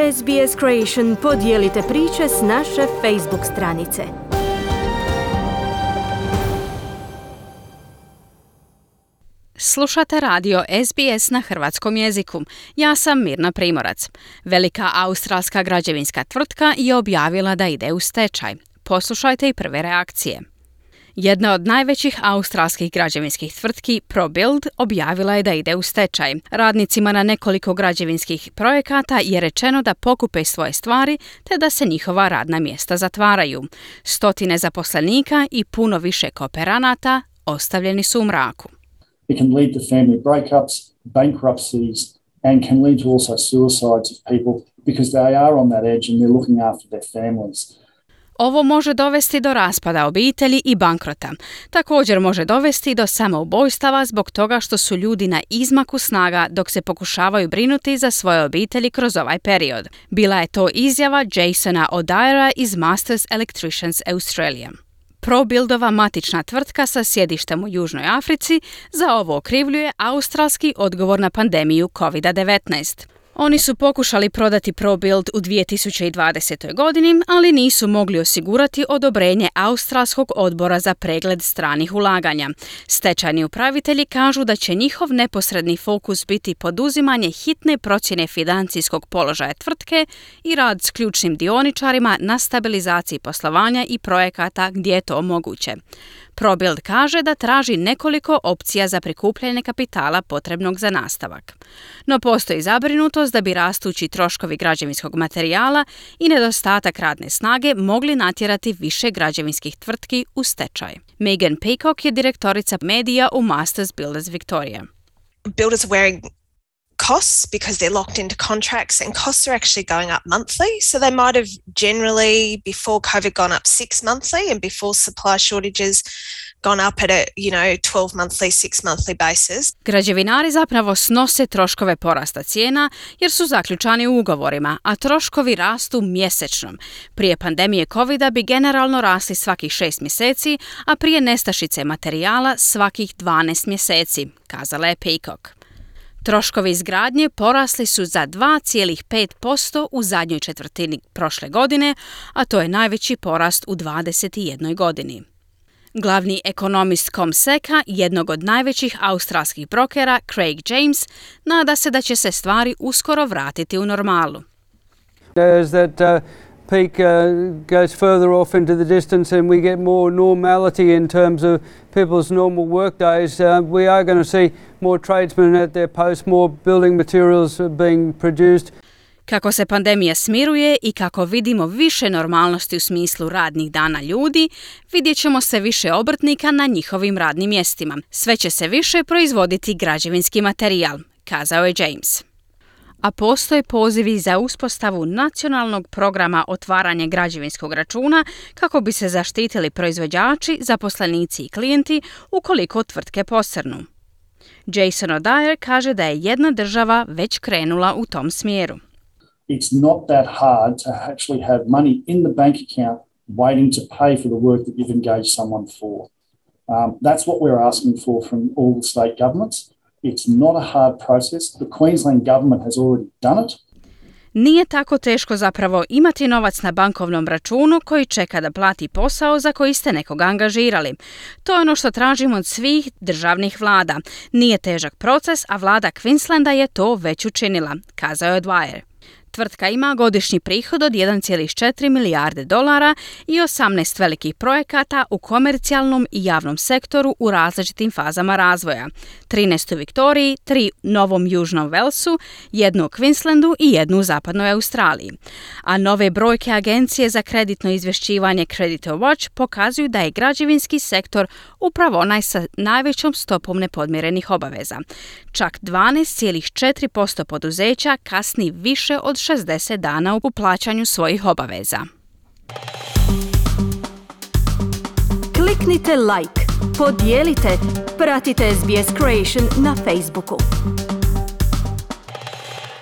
SBS Creation podijelite priče s naše Facebook stranice. Slušate radio SBS na hrvatskom jeziku. Ja sam Mirna Primorac. Velika australska građevinska tvrtka je objavila da ide u stečaj. Poslušajte i prve reakcije. Jedna od najvećih australskih građevinskih tvrtki, ProBuild, objavila je da ide u stečaj. Radnicima na nekoliko građevinskih projekata je rečeno da pokupe svoje stvari te da se njihova radna mjesta zatvaraju. Stotine zaposlenika i puno više kooperanata ostavljeni su u mraku. It can lead to family breakups, bankruptcies, and can lead to also suicides of people because they are on that edge and they're looking after their families. Ovo može dovesti do raspada obitelji i bankrota. Također može dovesti do samoubojstava zbog toga što su ljudi na izmaku snaga dok se pokušavaju brinuti za svoje obitelji kroz ovaj period. Bila je to izjava Jasona O'Dwyera iz Masters Electricians Australia. ProBuildova matična tvrtka sa sjedištem u Južnoj Africi za ovo okrivljuje australski odgovor na pandemiju COVID-19. Oni su pokušali prodati ProBuild u 2020. godini, ali nisu mogli osigurati odobrenje Australskog odbora za pregled stranih ulaganja. Stečajni upravitelji kažu da će njihov neposredni fokus biti poduzimanje hitne procjene financijskog položaja tvrtke i rad s ključnim dioničarima na stabilizaciji poslovanja i projekata gdje je to moguće. ProBuild kaže da traži nekoliko opcija za prikupljanje kapitala potrebnog za nastavak. No postoji zabrinutost da bi rastući troškovi građevinskog materijala i nedostatak radne snage mogli natjerati više građevinskih tvrtki u stečaj. Megan Peacock je direktorica medija u Masters Builders Victoria. Builders are wearing costs because they're locked into contracts and costs are actually going up monthly. So they might have generally before COVID gone up 6 monthly and before supply shortages gone up at a, 12 monthly, 6 monthly basis. Građevinari zapravo snose troškove porasta cijena jer su zaključani u ugovorima, a troškovi rastu mjesečno. Prije pandemije COVID-a bi generalno rasli svakih 6 mjeseci, a prije nestašice materijala svakih 12 mjeseci, kazala je Peacock. Troškovi izgradnje porasli su za 2,5% u zadnjoj četvrtini prošle godine, a to je najveći porast u 21 godini. Glavni ekonomist CommSeca, jednog od najvećih australskih brokera, Craig James, nada se da će se stvari uskoro vratiti u normalu. As that peak goes further off into the distance and we get more normality in terms of people's normal work days, we are going to see more tradesmen at their posts, more building materials being produced. Kako se pandemija smiruje i kako vidimo više normalnosti u smislu radnih dana ljudi, vidjet ćemo se više obrtnika na njihovim radnim mjestima. Sve će se više proizvoditi građevinski materijal, kazao je James. A postoje pozivi za uspostavu nacionalnog programa otvaranja građevinskog računa kako bi se zaštitili proizvođači, zaposlenici i klijenti ukoliko tvrtke posrnu. Jason O'Dwyer kaže da je jedna država već krenula u tom smjeru. It's not that hard to actually have money in the bank account waiting to pay for the work that you've engaged someone for. That's what we're asking for from all the state governments. It's not a hard process. The Queensland government has already done it. Nije tako teško zapravo imati novac na bankovnom računu koji čeka da plati posao za koji ste nekoga angažirali. To je ono što tražimo od svih državnih vlada. Nije težak proces, a vlada Queenslanda je to već učinila, kazao je O'Dwyer. Tvrtka ima godišnji prihod od 1,4 milijarde dolara i 18 velikih projekata u komercijalnom i javnom sektoru u različitim fazama razvoja. 13 u Viktoriji, 3 u Novom Južnom Walesu, 1 u Queenslandu i 1 u Zapadnoj Australiji. A nove brojke Agencije za kreditno izvješćivanje Creditor Watch pokazuju da je građevinski sektor upravo onaj sa najvećom stopom nepodmirenih obaveza. Čak 12,4% poduzeća kasni više od 60 dana u plaćanju svojih obaveza. Kliknite like, podijelite, pratite SBS Creation na Facebooku.